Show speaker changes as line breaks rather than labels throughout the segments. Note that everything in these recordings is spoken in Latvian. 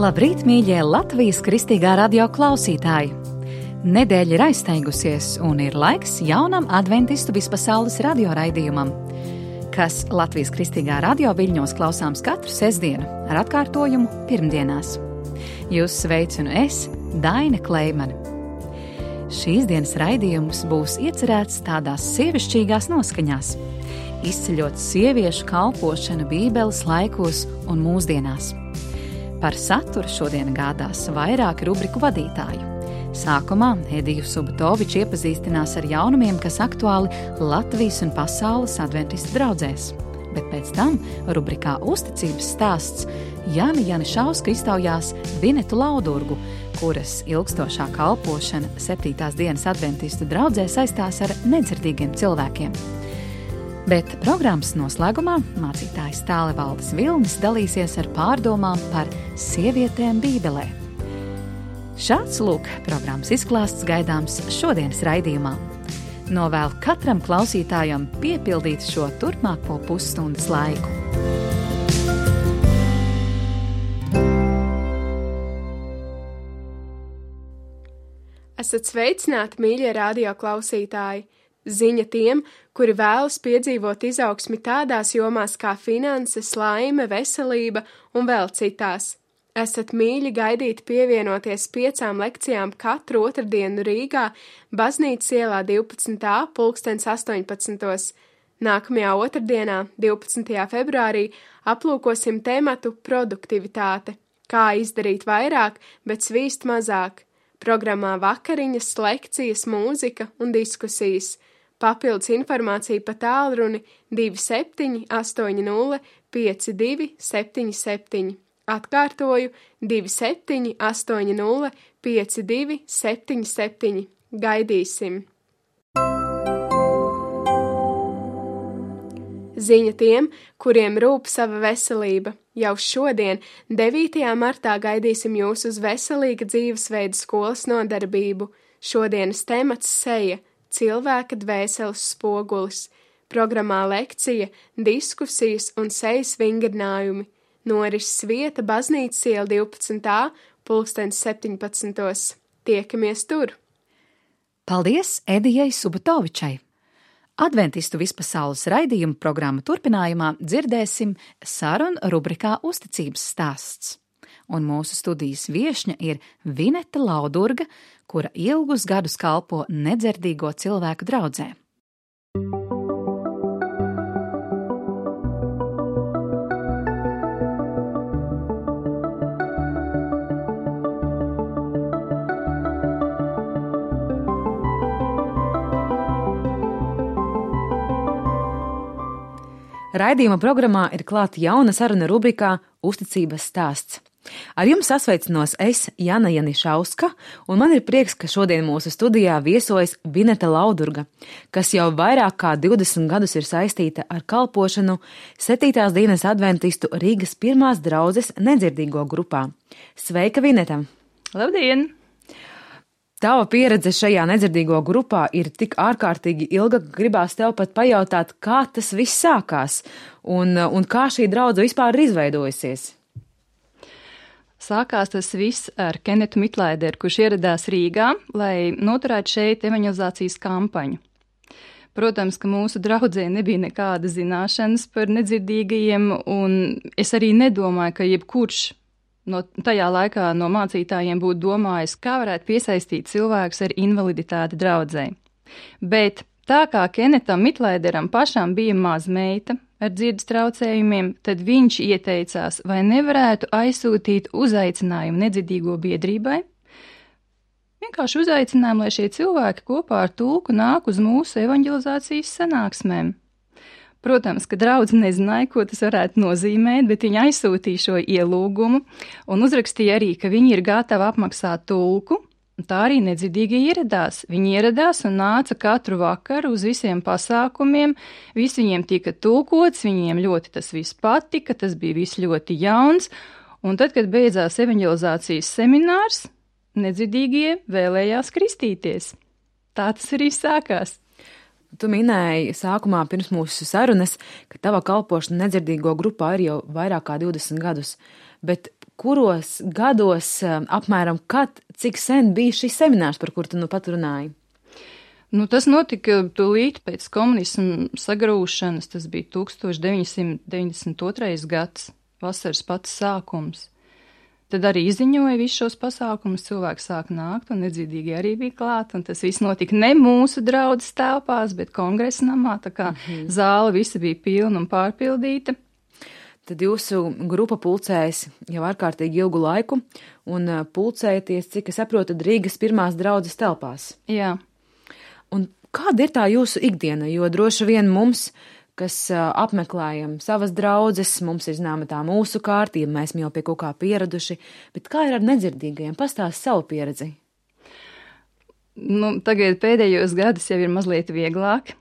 Labrīt, mīļie Latvijas Kristīgā radio klausītāji! Nedēļa ir aizsteigusies un ir laiks jaunam adventistu vispasaules radioraidījumam, kas Latvijas Kristīgā radio viļņos klausāms katru sestdienu ar atkārtojumu pirmdienās. Jūs sveicinu es, Daina Kleimane. Šīs dienas raidījums būs iecerēts tādās sievišķīgās noskaņās, izceļot sieviešu kalpošanu Bībeles laikos un mūsdienās. Par saturu šodien gādās vairāki rubriku vadītāju. Sākumā Ediju Subotoviču iepazīstinās ar jaunumiem, kas aktuāli Latvijas un pasaules adventistu draudzēs. Bet pēc tam rubrikā Uzticības stāsts Jana Janišauska iztaujās Vinetu Laudurgu, kuras ilgstošā kalpošana 7. dienas adventistu draudzē saistās ar nedzirdīgiem cilvēkiem. Bet programmas noslēgumā mācītājs Tālevaldis Vilnis dalīsies ar pārdomām par sievietēm Bībelē. Šāds lūk programmas izklāsts gaidāms šodienas raidījumā. Novēlu katram klausītājam piepildīt šo turpmāko pusstundas laiku.
Esat sveicināti, mīļie radio klausītāji! Ziņa tiem, kuri vēlas piedzīvot izaugsmi tādās jomās kā finanses, laime, veselība un vēl citās. Esat mīļi gaidīti pievienoties 5 lekcijām katru otrdienu Rīgā, Baznīcas ielā 12. pulkstens 18. Nākamajā otrdienā, 12. februārī, aplūkosim tematu produktivitāte, kā izdarīt vairāk, bet svīst mazāk. Programmā vakariņas, lekcijas, mūzika un diskusijas. Papildus informācija pa tālruni 27 80 52 77. Atkārtoju 27 80 52 77. Gaidīsim! Ziņa tiem, kuriem rūp sava veselība. Jau šodien, 9. martā, gaidīsim jūs uz veselīga dzīvesveida skolas nodarbību. Šodienas temats seja. Cilvēka dvēseles spogulis, programmā lekcija, diskusijas un sejas vingrinājumi. Norises vieta Baznīcas iela 12. pulkstens 17. Tiekamies tur!
Paldies Edijai Subotovičai! Adventistu vispasaules raidījuma programmu turpinājumā dzirdēsim sarunu rubrikā Uzticības stāsts. Un mūsu studijas viešņa ir Vineta Laudurga, kura ilgus gadus kalpo nedzirdīgo cilvēku draudzē. Raidījuma programmā ir klāta jauna saruna rubrikā Uzticības stāsts. Ar jums sasveicinos es, Jana Janišauska, un man ir prieks, ka šodien mūsu studijā viesojas Vineta Laudurga, kas jau vairāk kā 20 gadus ir saistīta ar kalpošanu 7. dienas adventistu Rīgas 1. draudzes nedzirdīgo grupā. Sveika, Vineta!
Labdien!
Tava pieredze šajā nedzirdīgo grupā ir tik ārkārtīgi ilga, ka gribās tev pat pajautāt, kā tas viss sākās un kā šī draudze vispār ir izveidojusies.
Sākās tas viss ar Kenetu Mitlaideru, kurš ieradās Rīgā, lai noturētu šeit evaņelizācijas kampaņu. Protams, ka mūsu draudzē nebija nekāda zināšanas par nedzirdīgajiem, un es arī nedomāju, ka jebkurš tajā laikā no mācītājiem būtu domājis, kā varētu piesaistīt cilvēkus ar invaliditāti draudzē. Bet tā kā Kenetam Mitlaideram pašām bija mazmeita ar dzirdes traucējumiem, tad viņš ieteicās, vai nevarētu aizsūtīt uzaicinājumu nedzirdīgo biedrībai. Vienkārši uzaicinājumu, lai šie cilvēki kopā ar tulku nāk uz mūsu evaņģelizācijas sanāksmēm. Protams, ka draudze nezināja, ko tas varētu nozīmēt, bet viņa aizsūtīja šo ielūgumu un uzrakstīja arī, ka viņi ir gatavi apmaksāt tulku. Tā arī nedzirdīgie ieradās. Viņi ieradās un nāca katru vakaru uz visiem pasākumiem, viss viņiem tika tulkots, viņiem ļoti tas viss patika, tas bija viss ļoti jauns, un tad, kad beidzās evaņģelizācijas seminārs, nedzirdīgie vēlējās kristīties. Tā tas arī sākās.
Tu minēji sākumā pirms mūsu sarunas, ka tava kalpošana nedzirdīgo grupā ir jau vairāk kā 20 gadus, bet
kuros gados apmēram, cik sen bija šis seminārs, par kur tu nu pat runāji?
Tas notika tūlīt pēc komunisma sagrūšanas, tas bija 1992. gads, vasaras pats sākums. Tad arī izziņoja visus šos pasākumus, cilvēki sāk nākt, un nedzirdīgie arī bija klāt, un tas viss notika ne mūsu draudzes telpās, bet kongresa namā, tā kā zāle visa bija pilna un pārpildīta.
Tad jūsu grupa pulcējas jau ārkārtīgi ilgu laiku, un pulcējaties, cik es saprotu, Rīgas pirmās draudzes telpās.
Jā.
Un kāda ir tā jūsu ikdiena, jo droši vien mums, kas apmeklējam savas draudzes, mums ir zināma tā mūsu kārtība, mēs jau pie kaut kā pieraduši, bet kā ir ar nedzirdīgajiem? Pastāst savu pieredzi.
Tagad pēdējos gadus jau ir mazliet vieglāk,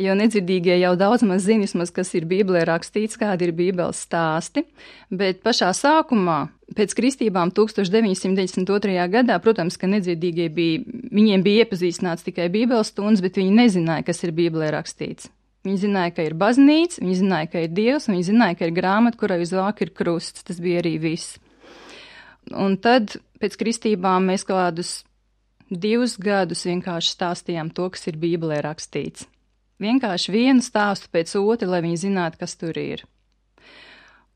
jo nedzirdīgie jau daudz maz zina, kas ir Bībelē rakstīts, kādi ir Bībeles stāsti, bet pašā sākumā, pēc kristībām 1992. gadā, protams, ka nedzirdīgie viņiem bija iepazīstināts tikai Bībeles stundas, bet viņi nezināja, kas ir Bībelē rakstīts. Viņi zināja, ka ir baznīca, viņi zināja, ka ir Dievs, un viņi zināja, ka ir grāmata, kurai uz vāka ir krusts. Tas bija arī viss. Un tad pēc kristībām mēs kādus 2 gadus vienkārši stāstījām to, kas ir Bībelē rakstīts. Vienkārši vienu stāstu pēc otra, lai viņi zinātu, kas tur ir.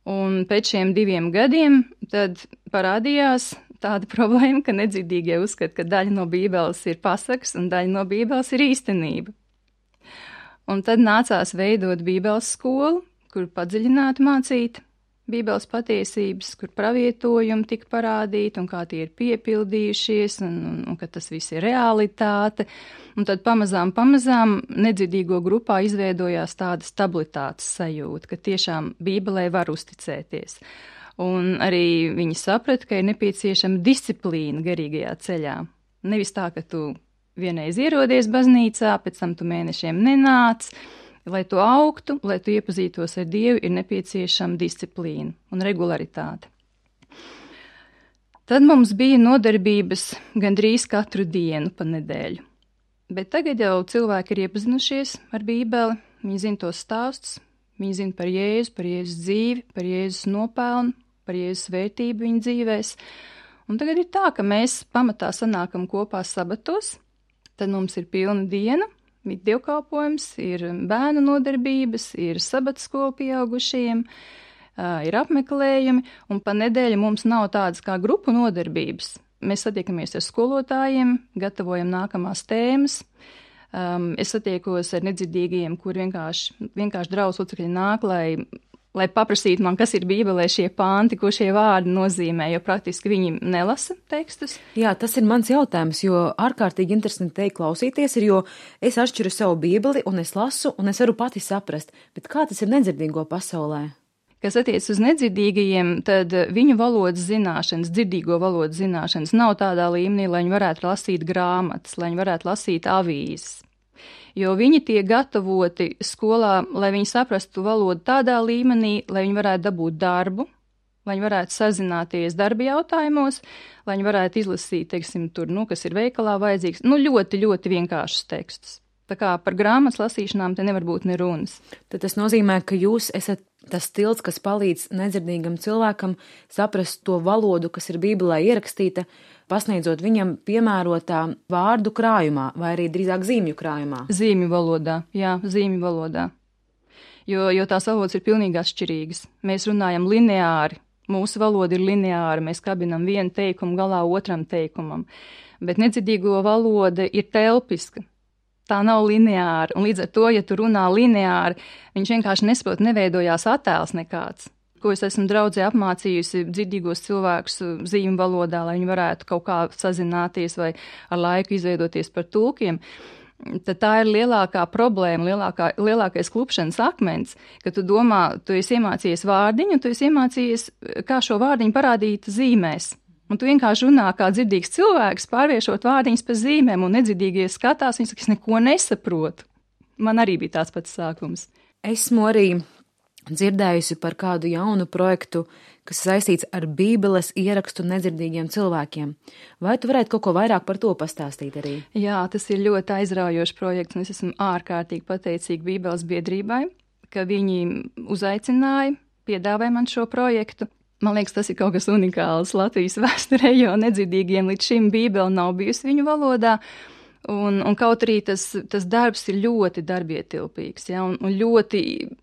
Un pēc šiem 2 gadiem tad parādījās tāda problēma, ka nedzirdīgie uzskata, ka daļa no Bībeles ir pasakas un daļa no Bībeles ir īstenība. Un tad nācās veidot Bībeles skolu, kur padziļināti mācīt Bībeles patiesības, kur pravietojumi tika parādīti un kā tie ir piepildījušies un ka tas viss ir realitāte. Un tad pamazām nedzirdīgo grupā izveidojās tāda stabilitātes sajūta, ka tiešām Bībelē var uzticēties. Un arī viņi saprata, ka ir nepieciešama disciplīna garīgajā ceļā. Nevis tā, ka tu vienreiz ierodies baznīcā, pēc tam tu mēnešiem nenāc. Lai tu augtu, lai tu iepazītos ar Dievu, ir nepieciešama disciplīna un regularitāte. Tad mums bija nodarbības gandrīz katru dienu pa nedēļu. Bet tagad jau cilvēki ir iepazinušies ar Bībeli, viņi zina tos stāstus, viņi zina par Jēzus dzīvi, par Jēzus nopelnu, par Jēzus vērtību viņu dzīvēs. Un tagad ir tā, ka mēs pamatā sanākam kopā sabatos. Tad mums ir pilna diena, ir dievkalpojums, ir bērnu nodarbības, ir sabatskola pieaugušajiem, ir apmeklējumi, un pa nedēļu mums nav tādas kā grupu nodarbības. Mēs satiekamies ar skolotājiem, gatavojam nākamās tēmas. Es satiekos ar nedzirdīgajiem, kur vienkārši draudzes locekļi nāk, lai paprasītu man, kas ir Bībelē šie panti, ko šie vārdi nozīmē, jo praktiski viņi nelasa tekstus.
Jā, tas ir mans jautājums, jo ārkārtīgi interesanti teikt klausīties ir, jo es atšķiru savu Bībeli un es lasu un es varu pati saprast, bet kā tas ir nedzirdīgo pasaulē?
Kas attiec uz nedzirdīgajiem, tad viņu valodas zināšanas, dzirdīgo valodas zināšanas nav tādā līmenī, lai viņi varētu lasīt grāmatas, lai viņi varētu lasīt avīzes. Jo viņi tiek gatavoti skolā, lai viņi saprastu valodu tādā līmenī, lai viņi varētu dabūt darbu, lai viņi varētu sazināties darba jautājumos, lai viņi varētu izlasīt, teiksim, tur, kas ir veikalā vajadzīgs, ļoti, ļoti vienkāršus tekstus. Tā kā par grāmatas lasīšanām te nevar būt ne runas.
Tad tas nozīmē, ka jūs esat tas tilts, kas palīdz nedzirdīgam cilvēkam saprast to valodu, kas ir Bībelē ierakstīta, pasniedzot viņam piemērotā vārdu krājumā, vai arī drīzāk zīmju krājumā.
Zīmju valodā, jā, zīmju valodā. Jo tās valodas ir pilnīgi atšķirīgas. Mēs runājam lineāri, mūsu valoda ir lineāra, mēs kabinam vienu teikumu galā otram teikumam, bet nedzirdīgo valoda ir telpiska. Tā nav lineāra, un līdz ar to, ja tu runā lineāri, viņš vienkārši nesaprot, neveidojās attēls nekāds. Ko es esmu draudzē apmācījusi dzirdīgos cilvēkus zīmju valodā, lai viņi varētu kaut kā sazināties vai ar laiku izveidoties par tulkiem, tad tā ir lielākā problēma, lielākais klupšanas akmens, ka tu domā, tu esi iemācījies vārdiņu, un tu esi iemācījies, kā šo vārdiņu parādīt zīmēs. Un tu vienkārši runā kā dzirdīgs cilvēks, pārviešot vārdiņus pa zīmēm, un nedzirdīgie skatās, viņi saka, es neko nesaprotu. Man arī bija tāds pats sākums.
Esmu arī dzirdējusi par kādu jaunu projektu, kas saistīts ar Bībeles ierakstu nedzirdīgiem cilvēkiem. Vai tu varētu kaut ko vairāk par to pastāstīt arī?
Jā, tas ir ļoti aizraujošs projekts, un es esmu ārkārtīgi pateicīga Bībeles biedrībai, ka viņi uzaicināja, piedāvāja man šo projektu. Man liekas, tas ir kaut kas unikāls Latvijas vēsturē, jo nedzirdīgiem līdz šim Bībele nav bijusi viņu valodā. Un kaut arī tas darbs ir ļoti darbietilpīgs, ja, un ļoti,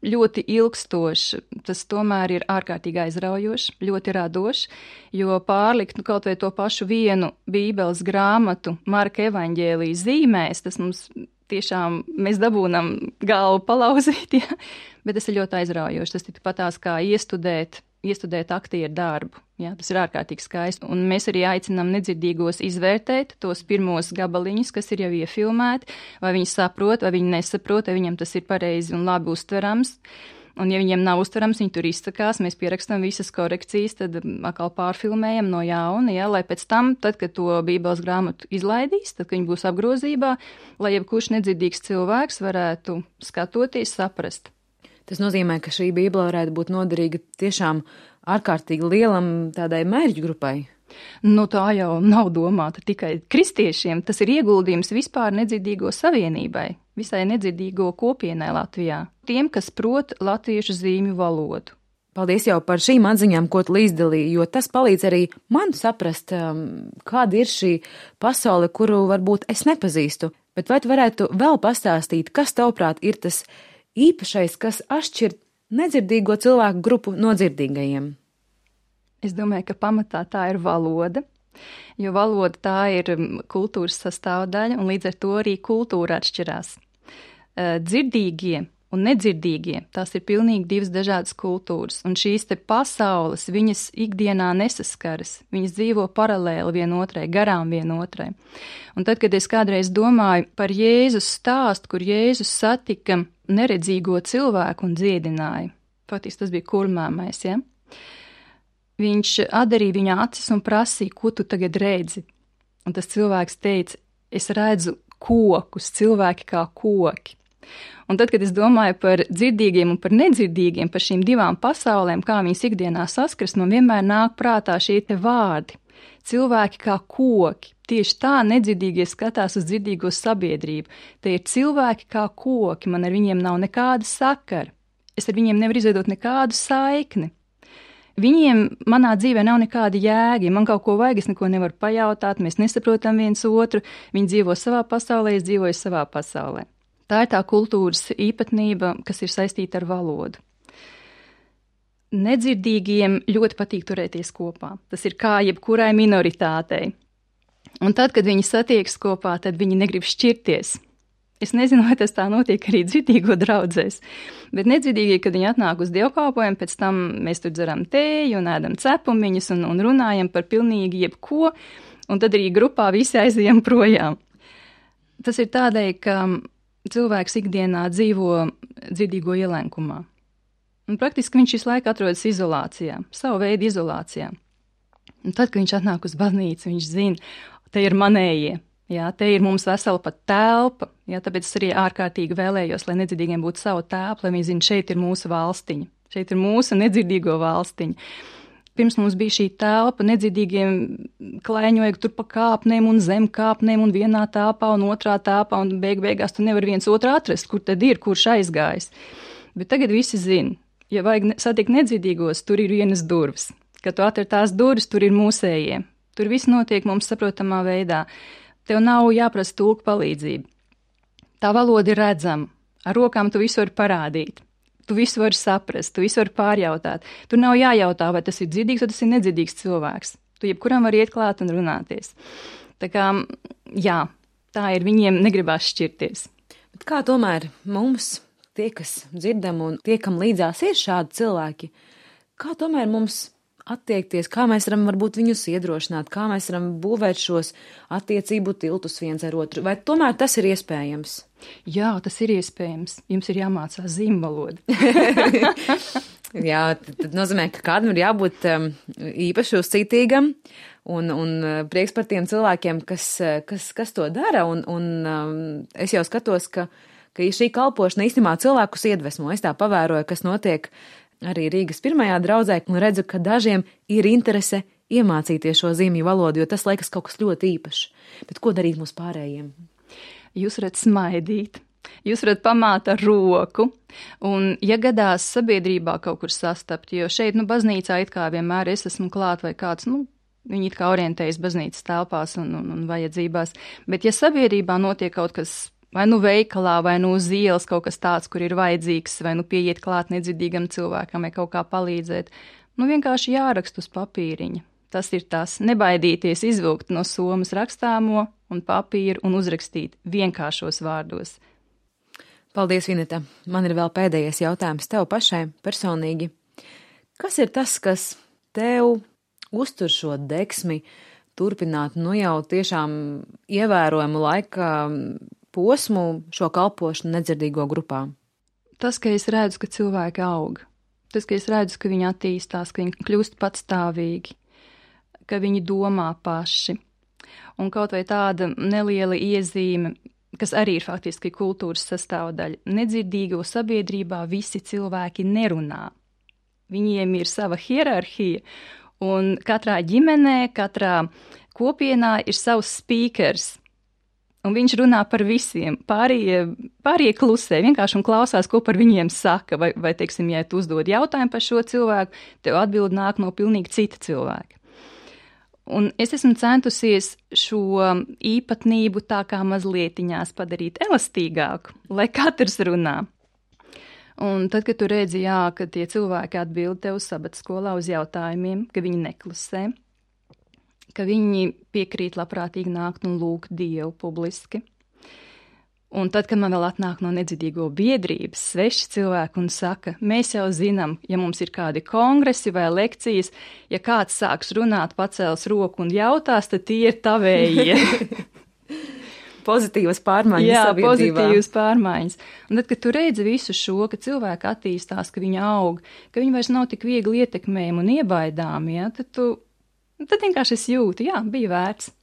ļoti ilgstošs. Tas tomēr ir ārkārtīgi aizraujošs, ļoti radošs, jo pārlikt kaut vai to pašu vienu Bībeles grāmatu Marka evaņģēlija zīmēs, tas mums tiešām mēs dabūnam galvu palauzīt, ja, bet tas ir ļoti aizraujošs. Tas ir patās kā iestudēt aktieru darbu. Ja, tas ir ārkārtīgi skaisti. Un mēs arī aicinām nedzirdīgos izvērtēt tos pirmos gabaliņus, kas ir jau iefilmēti, vai viņi saprot, vai viņi nesaprot, vai viņam tas ir pareizi un labi uztverams. Un ja viņiem nav uztverams, viņi tur izsakās, mēs pierakstam visas korekcijas, tad atkal pārfilmējam no jauna, ja, lai pēc tam, tad, kad to Bībeles grāmatu izlaidīs, tad, kad viņi būs apgrozībā, lai jebkurš nedzirdīgs cilvēks varētu skatoties, saprast.
Tas nozīmē, ka šī Bībele varētu būt noderīga tiešām ārkārtīgi lielam tādai mērķu grupai.
Nu, tā jau nav domāta tikai kristiešiem. Tas ir ieguldījums vispār nedzirdīgo savienībai, visai nedzirdīgo kopienai Latvijā. Tiem, kas prot latviešu zīmju valodu.
Paldies jau par šīm atziņām, ko tu līdzdalīji, jo tas palīdz arī man saprast, kāda ir šī pasaule, kuru varbūt es nepazīstu. Bet vai tu varētu vēl pastāstīt, kas tavuprāt ir tas īpašais, kas atšķir nedzirdīgo cilvēku grupu no dzirdīgajiem?
Es domāju, ka pamatā tā ir valoda, jo valoda tā ir kultūras sastāvdaļa, un līdz ar to arī kultūra atšķirās. Dzirdīgie un nedzirdīgie, tās ir pilnīgi divas dažādas kultūras, un šīs te pasaules, viņas ikdienā nesaskaras, viņas dzīvo paralēli vienotrai, garām vienotrai. Un tad, kad es kādreiz domāju par Jēzus stāstu, kur Jēzus satika neredzīgo cilvēku un dziedināja, faktiski tas bija kurmāmais, ja? Viņš atdarīja viņa acis un prasīja, ko tu tagad redzi? Un tas cilvēks teica, es redzu kokus, cilvēki kā koki. Un tad, kad es domāju par dzirdīgiem un par nedzirdīgiem, par šīm divām pasaulēm, kā viņas ikdienā saskars, man vienmēr nāk prātā šie te vārdi. Cilvēki kā koki. Tieši tā nedzirdīgie skatās uz dzirdīgo sabiedrību. Tie ir cilvēki kā koki, man ar viņiem nav nekāda sakara. Es ar viņiem nevaru izveidot nekādu saikni. Viņiem manā dzīvē nav nekāda jēga, ja man kaut ko vajag, es neko nevaru pajautāt, mēs nesaprotam viens otru, viņi dzīvo savā pasaulē, es dzīvoju savā pasaulē. Tā ir tā kultūras īpatnība, kas ir saistīta ar valodu. Nedzirdīgiem ļoti patīk turēties kopā. Tas ir kā jebkurai minoritātei. Un tad, kad viņi satiekas kopā, tad viņi negrib šķirties. Es nezinu, vai tas tā notiek arī dzirdīgo draudzēs, bet nedzirdīgie, kad viņi atnāk uz dievkalpojumu, pēc tam mēs tur dzeram tēju un ēdam cepumiņus un runājam par pilnīgi jebko, un tad arī grupā visi aizejam projām. Tas ir tādēļ, ka cilvēks ikdienā dzīvo dzirdīgo ielenkumā. Un praktiski viņš visu laiku atrodas izolācijā, savu veidu izolācijā. Un tad, kad viņš atnāk uz baznīcu, viņš zina, te ir manējie. Jā, te ir mums vesela pat telpa, jā, tāpēc es arī ārkārtīgi vēlējos, lai nedzirdīgiem būtu savu telpu, lai viņi zina, šeit ir mūsu valstiņa, šeit ir mūsu nedzirdīgo valstiņa. Pirms mums bija šī telpa, nedzirdīgiem klaiņoja tur pa kāpnēm un zem kāpnēm un vienā telpā un otrā telpā, un beigās tu nevari viens otru atrast, kur tad ir, kurš aizgājis. Bet tagad visi zina, ja vajag satikt nedzirdīgos, tur ir vienas durvis. Kad tu atver tās durvis, tur ir mūsējie. Tur viss notiek mums saprotamā veidā. Tev nav jāprasa tulka palīdzība. Tā valoda ir redzama. Ar rokām tu visu vari parādīt. Tu visu vari saprast, tu visu vari pārjautāt. Tur nav jājautā, vai tas ir dzirdīgs vai tas ir nedzirdīgs cilvēks. Tu jebkuram var iet klāt un runāties. Tā kā, jā, tā ir, viņiem negribās šķirties.
Bet kā tomēr mums, tie, kas dzirdam un tie, kam līdzās ir šādi cilvēki, kā tomēr mums attiekties, kā mēs varam varbūt viņus iedrošināt, kā mēs varam būvēt šos attiecību tiltus viens ar otru, vai tomēr tas ir iespējams?
Jā, tas ir iespējams. Jums ir jāmācās zīmju valoda.
Jā, tad nozīmē, ka kādam ir jābūt īpaši uzcītīgam un prieks par tiem cilvēkiem, kas to dara, un es jau skatos, ka šī kalpošana īstenībā cilvēkus iedvesmo. Es tā pavēroju, kas notiek arī Rīgas pirmajā draudzē, un redzu, ka dažiem ir interese iemācīties šo zīmju valodu, jo tas liekas kaut kas ļoti īpašs. Bet ko darīt mums pārējiem?
Jūs varat smaidīt, jūs varat pamāt ar roku, un ja gadās sabiedrībā kaut kur sastapt, jo šeit, baznīcā it kā vienmēr es esmu klāt vai kāds, viņi it kā orientējas baznīcas telpās un vajadzībās, bet ja sabiedrībā notiek kaut kas, vai veikalā, vai uz ielas kaut kas tāds, kur ir vajadzīgs, vai pieiet klāt nedzirdīgam cilvēkam, vai kaut kā palīdzēt, vienkārši jāraksta uz papīriņa. Tas ir tas, nebaidīties izvilkt no somas rakstāmo un papīru un uzrakstīt vienkāršos vārdos.
Paldies, Vineta. Man ir vēl pēdējais jautājums tev pašai personīgi. Kas ir tas, kas tev uztur šo deksmi turpināt, jau tiešām ievērojumu laika posmu šo kalpošanu nedzirdīgo grupā?
Tas, ka es redzu, ka cilvēki aug. Tas, ka es redzu, ka viņi attīstās, ka viņi kļūst patstāvīgi, ka viņi domā paši. Un kaut vai tāda neliela iezīme, kas arī ir faktiski kultūras sastāvdaļa. Nedzirdīgo sabiedrībā visi cilvēki nerunā. Viņiem ir sava hierarhija, un katrā ģimenē, katrā kopienā ir savs speakers. Un viņš runā par visiem. Pārējie klusē vienkārši un klausās, ko par viņiem saka. Vai teiksim, ja tu uzdod jautājumu par šo cilvēku, tev atbild nāk no pilnīgi cita cilvēka. Un es esmu centusies šo īpatnību tā kā mazlietiņās padarīt elastīgāku, lai katrs runā. Un tad, kad tu redzi, ka tie cilvēki atbild tev sabatskolā uz jautājumiem, ka viņi neklusē, ka viņi piekrīt labprātīgi nākt un lūgt Dievu publiski. Un tad, kad man vēl atnāk no nedzirdīgo biedrības sveši cilvēki un saka, mēs jau zinām, ja mums ir kādi kongresi vai lekcijas, ja kāds sāks runāt, pacels roku un jautās, tad tie ir tavējie.
Pozitīvas pārmaiņas sabiedrībā.
Jā, pozitīvas pārmaiņas. Un tad, kad tu redzi visu šo, ka cilvēki attīstās, ka viņi aug, ka viņi vairs nav tik viegli ietekmējami un iebaidāmi, tad vienkārši es jūtu, bija vērts.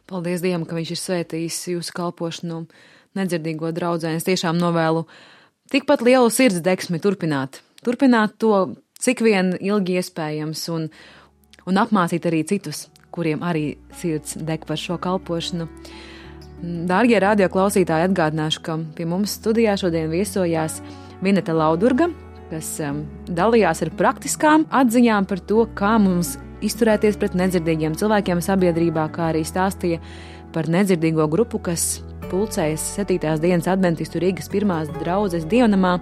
Paldies Dievam, ka viņš ir svētījis jūsu kalpošanu nedzirdīgo draudzē. Es tiešām novēlu tikpat lielu sirds deksmi turpināt to, cik vien ilgi iespējams, un apmācīt arī citus, kuriem arī sirds deg par šo kalpošanu. Dārgie radio klausītāji, atgādināšu, ka pie mums studijā šodien viesojās Vineta Laudurga, kas dalījās ar praktiskām atziņām par to, kā mums izturēties pret nedzirdīgiem cilvēkiem sabiedrībā, kā arī stāstīja par nedzirdīgo grupu, kas pulcējas 7. dienas adventistu Rīgas 1. draudzes dievnamā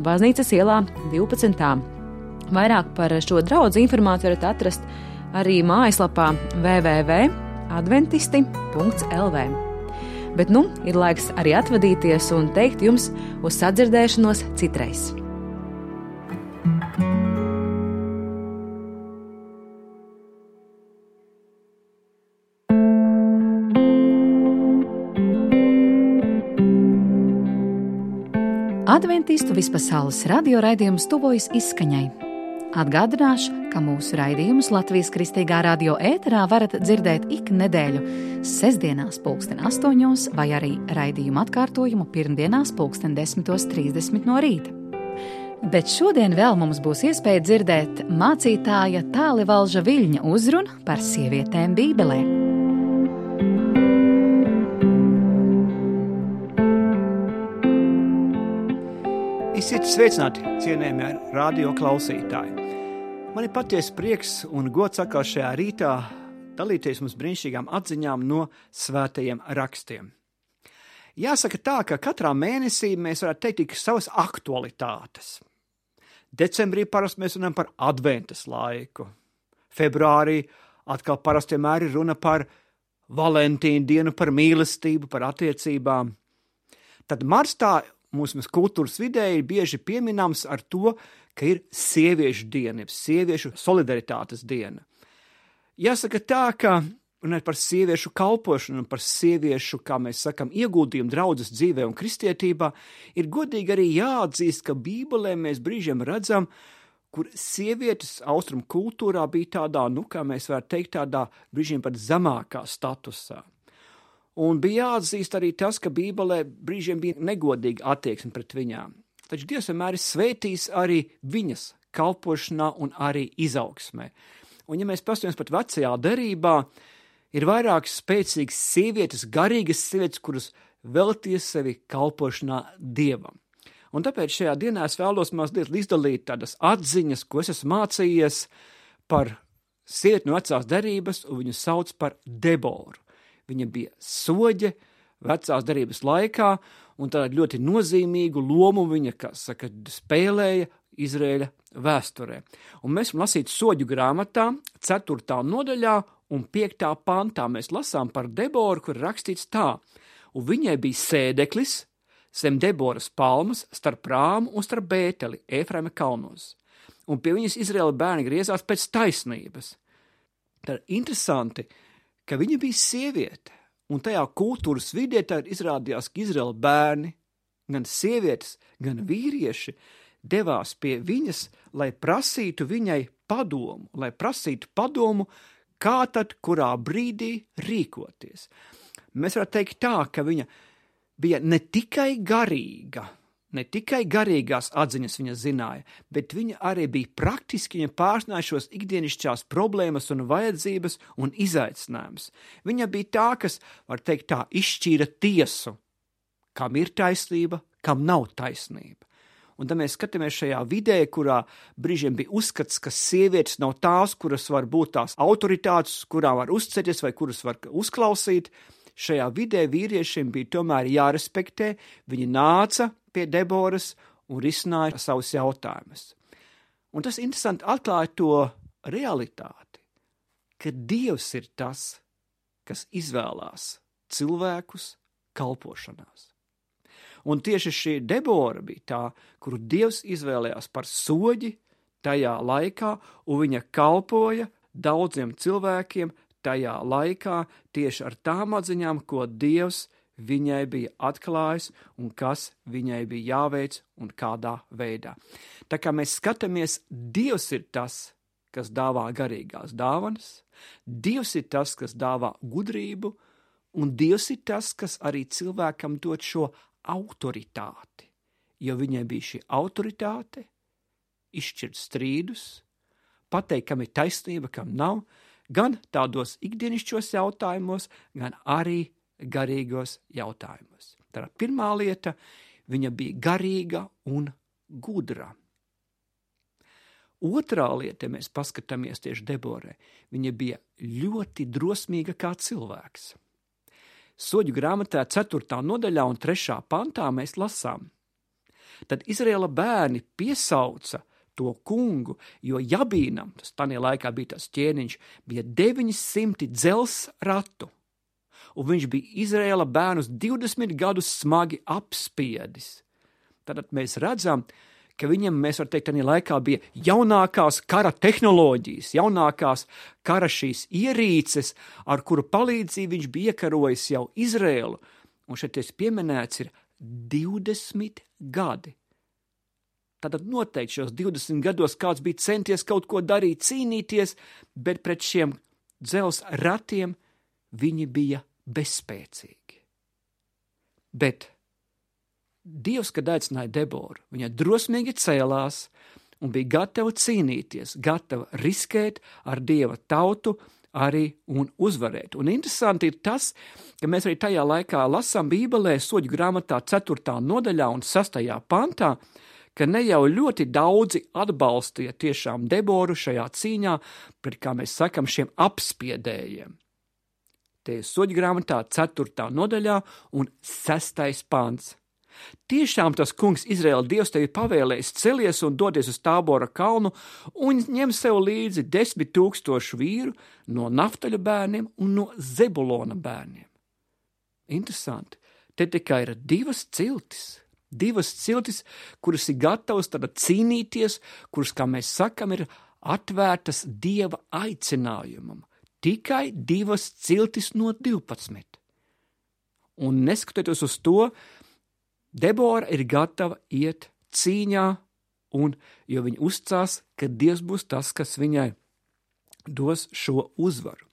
Baznīcas ielā 12. Vairāk par šo draudzi informāciju varat atrast arī mājaslapā www.adventisti.lv. Bet ir laiks arī atvadīties un teikt jums uz sadzirdēšanos citreiz.
Adventistu vispasaules radio raidījums tuvojas izskaņai. Atgādināšu, ka mūsu raidījumus Latvijas Kristīgā radio ēterā varat dzirdēt ik nedēļu sestdienās 8:00 vai arī raidījumu atkārtojumu pirmdienās 10:30 no rīta. Bet šodien vēl mums būs iespēja dzirdēt mācītāja Tālivalža Viļņa uzrunu par sievietēm Bībelē.
Esiet sveicināti, cienējamie radio klausītāji. Man ir patiesi prieks un gods atkal šajā rītā dalīties mums brīnišķīgām atziņām no svētajiem rakstiem. Jāsaka tā, ka katrā mēnesī mēs varētu teikt tik savas aktualitātes. Decembrī parasti mēs runājam par adventas laiku. Februārī atkal parasti vienmēr ir runa par Valentīnu dienu, par mīlestību, par attiecībām. Tad marstā mūsu kultūras vidē ir bieži pieminams ar to, ka ir sieviešu diena, sieviešu solidaritātes diena. Jāsaka tā, ka runājot par sieviešu kalpošanu un par sieviešu, kā mēs sakam, ieguldījumu draudzes dzīvē un kristietībā, ir godīgi arī jāatzīst, ka Bībelē mēs brīžiem redzam, kur sievietes austrumu kultūrā bija tādā, kā mēs varētu teikt, tādā brīžiem pat zemākā statusā. Un bija jāatzīst arī tas, ka Bībelē brīžiem bija negodīga attieksme pret viņām. Taču Dievs vienmēr ir svētījis arī viņas kalpošanā un arī izaugsmē. Un ja mēs paskatāmies pat vecajā derībā, ir vairākas spēcīgas sievietes, garīgas sievietes, kuras velties sevi kalpošanā Dievam. Un tāpēc šajā dienā es vēlos mazliet izdalīt tādas atziņas, ko es esmu mācījies par sievieti no vecās derības, un viņu sauc par Deboru. Viņa bija soģe vecās derības laikā, un tādu ļoti nozīmīgu lomu viņa, kā saka, spēlēja Izraēļa vēsturē. Un mēs lasīt soģu grāmatā, 4. nodaļā un 5. pantā mēs lasām par Deboru, kur rakstīts tā: un viņai bija sēdeklis zem Deboras palmas starp Rāmu un starp Bēteli, Efraima kalnos. Un pie viņas Izraēla bērni griezās pēc taisnības. Tad interesanti, ka viņa bija sieviete, un tajā kultūras vidē tad izrādījās, ka Izraēla bērni, gan sievietes, gan vīrieši, devās pie viņas, lai prasītu viņai padomu, kā tad kurā brīdī rīkoties. Mēs varētu teikt tā, ka viņa bija ne tikai garīga, ne tikai garīgās atziņas viņa zināja, bet viņa arī bija praktiski, viņa pārzināja šos ikdienišķās problēmas un vajadzības un izaicinājumus. Viņa bija tā, kas, var teikt tā, izšķīra tiesu, kam ir taisnība, kam nav taisnība. Un tad mēs skatāmies šajā vidē, kurā brīžiem bija uzskats, ka sievietes nav tās, kuras var būt tās autoritātes, kurām var uzceļties vai kuras var uzklausīt. Šajā vidē vīriešiem bija tomēr jārespektē, viņi nāca pie Deboras un risināja savus jautājumus. Un tas interesanti atklāja to realitāti, ka Dievs ir tas, kas izvēlās cilvēkus kalpošanās. Un tieši šī Debora bija tā, kuru Dievs izvēlējās par soģi tajā laikā, un viņa kalpoja daudziem cilvēkiem tajā laikā tieši ar tām atziņām, ko Dievs viņai bija atklājis un kas viņai bija jāveic un kādā veidā. Tā kā mēs skatāmies, Dievs ir tas, kas dāvā garīgās dāvanas, Dievs ir tas, kas dāvā gudrību, un Dievs ir tas, kas arī cilvēkam dod šo autoritāti, jo viņai bija šī autoritāte, izšķirt strīdus, pateikt, kam ir taisnība, kam nav, gan tādos ikdienišķos jautājumos, gan arī garīgos jautājumos. Tā pirmā lieta, viņa bija garīga un gudra. Otrā lieta, ja mēs paskatāmies tieši Deborai, viņa bija ļoti drosmīga kā cilvēks. Soģu grāmatā 4. nodaļā un 3. pantā mēs lasām. Tad Izraēla bērni piesauca to kungu, jo Jabīnam, tas tādā laikā bija tas ķēniņš, bija 900 dzels ratu, un viņš bija Izraēla bērnus 20 gadus smagi apspiedis. Tad mēs redzam, ka viņam, mēs varam teikt, tādā laikā bija jaunākās kara tehnoloģijas, jaunākās kara šīs ierīces, ar kuru palīdzību viņš bija iekarojis jau Izraēlu, un šeit pieminēts ir 20 gadi. Tātad noteikti šos 20 gados kāds bija centies kaut ko darīt, cīnīties, bet pret šiem dzels ratiem viņi bija bezspēcīgi. Bet Dievs, kad aicināja Deboru, viņa drosmīgi cēlās un bija gatava cīnīties, gatava riskēt ar Dieva tautu arī un uzvarēt. Un interesanti ir tas, ka mēs arī tajā laikā lasām Bībelē soģu grāmatā 4. nodaļā un 6. pantā, ka ne jau ļoti daudzi atbalstīja tiešām Deboru šajā cīņā pret, kā mēs sakam, šiem apspiedējiem. Te ir soģu grāmatā 4. nodaļā un 6. pants. Tiešām tas kungs Izraēla Dievs tevi pavēlējis celies un dodies uz Tābora kalnu un ņem sev līdzi 10 000 vīru no Naftaļa bērniem un no Zebulona bērniem. Interesanti, te tikai ir divas ciltis, kuras ir gatavas tad cīnīties, kuras, kā mēs sakam, ir atvērtas Dieva aicinājumam. Tikai 2 ciltis no 12. Un neskatoties uz to, Debora ir gatava iet cīņā, jo viņa uzcās, ka Dievs būs tas, kas viņai dos šo uzvaru.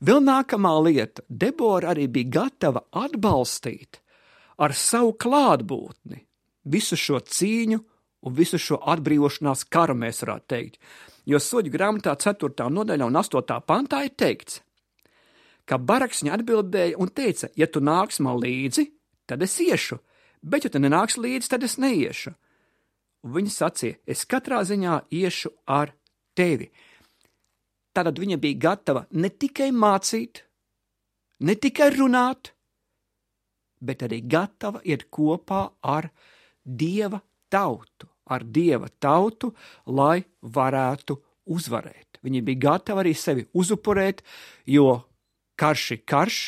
Vēl nākamā lieta, Debora arī bija gatava atbalstīt ar savu klātbūtni visu šo cīņu un visu šo atbrīvošanās karu, mēs varētu teikt. Jo soģu grāmatā 4. nodaļā un 8. pantā ir teikts, ka Baraks viņa atbildēja un teica, ja tu nāks man līdzi, tad es iešu, bet ja tu nenāks līdzi, tad es neiešu. Un viņa sacīja, es katrā ziņā iešu ar tevi. Tātad viņa bija gatava ne tikai mācīt, ne tikai runāt, bet arī gatava iet kopā ar Dieva tautu, lai varētu uzvarēt. Viņa bija gatava arī sevi uzupurēt, jo karš ir karš,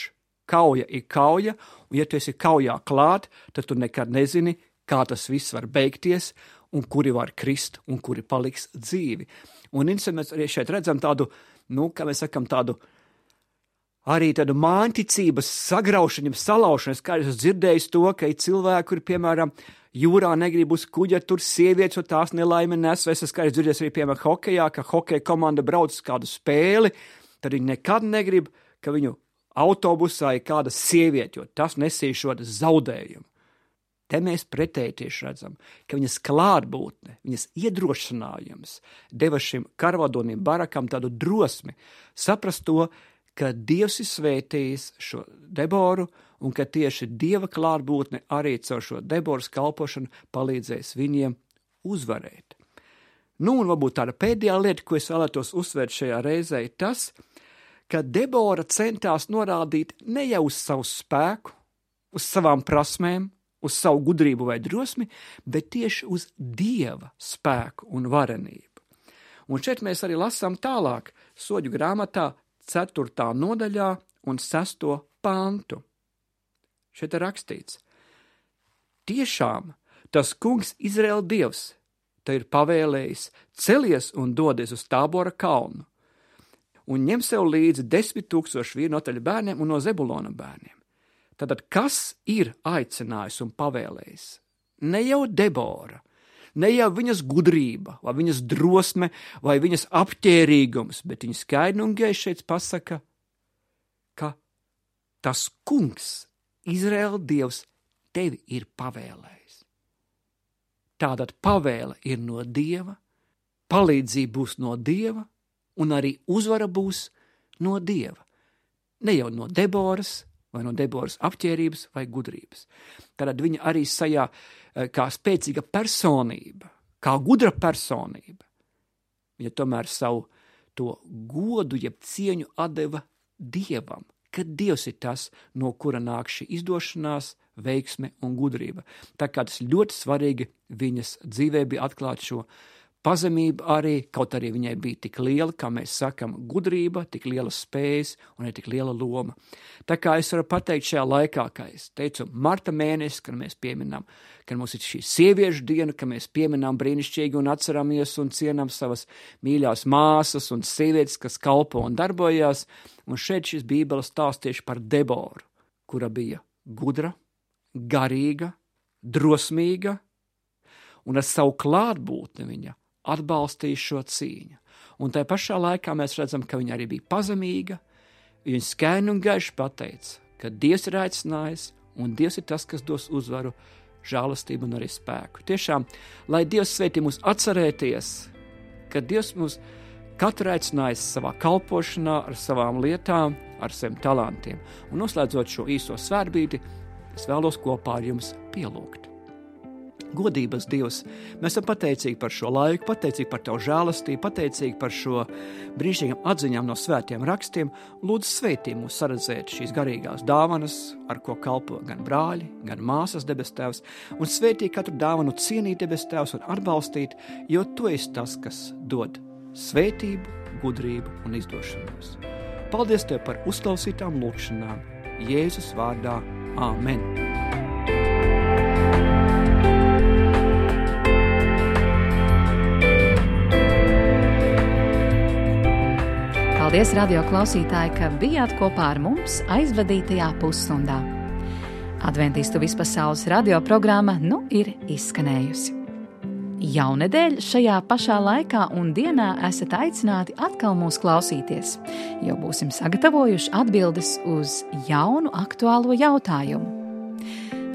kauja ir kauja, un ja tu esi kaujā klāt, tad tu nekad nezini, kā tas viss var beigties, un kuri var krist, un kuri paliks dzīvi. Un mēs arī šeit redzam tādu, kā mēs sakam, tādu māņticības sagraušanu, salaušanu. Kā es dzirdēju to, ka ir cilvēki, kuri, piemēram, jūrā negrib uz kuģa, tur sievietes, un tās nelaime nes, vai es esmu dzirdējis arī, piemēram, hokejā, ka hokeja komanda brauc uz kādu spēli, tad viņi nekad negrib, ka viņu autobusā ir kāda sieviete, jo tas nesīs šo zaudējumu. Te mēs pretēji tieši redzam, ka viņas klātbūtne, viņas iedrošinājums deva šim karvadonim Barakam tādu drosmi saprast to, ka Dievs ir svētījis šo Deboru un ka tieši Dieva klātbūtne arī caur šo Deboras kalpošanu palīdzēs viņiem uzvarēt. Un varbūt tāda pēdējā lieta, ko es vēlētos uzsvērt šajā reizē, ir tas, ka Debora centās norādīt ne jau uz savu spēku, uz savām prasmēm, uz savu gudrību vai drosmi, bet tieši uz Dieva spēku un varenību. Un šeit mēs arī lasām tālāk Soļu grāmatā 4. nodaļā un 6. pantu. Šeit ir rakstīts: tiešām tas kungs Izraēla Dievs te ir pavēlējis celies un dodies uz Tābora kalnu un ņem sev līdzi 10 000 vīru no Naftaļa bērniem un no Zebulona bērniem. Tātad, kas ir aicinājis un pavēlējis? Ne jau Debora, ne jau viņas gudrība, vai viņas drosme, vai viņas apķērīgums, bet viņa skaidri un gaiši šeit pasaka, ka tas kungs, Izraēla Dievs, tevi ir pavēlējis. Tātad pavēle ir no Dieva, palīdzība būs no Dieva, un arī uzvara būs no Dieva. Ne jau no Deboras, vai no Deboras apķērības vai gudrības. Tad viņa arī sajā kā spēcīga personība, kā gudra personība. Viņa tomēr savu to godu, jeb cieņu atdeva Dievam, ka Dievs ir tas, no kura nāk šī izdošanās, veiksme un gudrība. Tā kā tas ļoti svarīgi viņas dzīvē bija atklāt šo pazemība arī, kaut arī viņai bija tik liela, kā mēs sakam, gudrība, tik liela spējas un arī tik liela loma. Tā kā es varu pateikt šajā laikā, kā es teicu, marta mēnesis, kad mēs pieminām, kad mums ir šī sieviešu diena, ka mēs pieminām brīnišķīgi un atceramies un cienām savas mīļās māsas un sievietes, kas kalpo un darbojās. Un šeit šis bībeles stāsts tieši par Deboru, kura bija gudra, garīga, drosmīga un ar savu klātbūtni viņa atbalstīja šo cīņu. Un tajā pašā laikā mēs redzam, ka viņa arī bija pazemīga, viņa skaidri un gaiši pateica, ka Dievs ir aicinājis, un Dievs ir tas, kas dos uzvaru, žēlastību un arī spēku. Tiešām, lai Dievs svētī mūs atcerēties, ka Dievs mūs katru aicinājis savā kalpošanā, ar savām lietām, ar saviem talantiem. Un noslēdzot šo īso svētbrīdi, es vēlos kopā ar jums pielūgt. Godības Dievs, mēs esam pateicīgi par šo laiku, pateicīgi par Tavu žēlastību, pateicīgi par šo brīnišķīgām atziņām no svētiem rakstiem. Lūdzu, svētī mūs saredzēt šīs garīgās dāvanas, ar ko kalpo gan brāļi, gan māsas debes Tēvs, un svētī katru dāvanu cienīt debes Tēvs un atbalstīt, jo Tu esi tas, kas dod svētību, gudrību un izdošanos. Paldies Tev par uzklausītām lūkšanām. Jēzus vārdā. Āmen.
Paldies, radio klausītāji, ka bijāt kopā ar mums aizvadītajā pusstundā. Adventistu vispasaules radio programma ir izskanējusi. Jaunedēļ šajā pašā laikā un dienā esat aicināti atkal mūs klausīties, jo būsim sagatavojuši atbildes uz jaunu aktuālo jautājumu.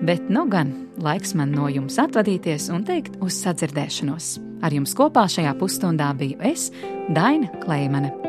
Bet gan laiks man no jums atvadīties un teikt uz sadzirdēšanos. Ar jums kopā šajā pusstundā biju es, Daina Kleimane.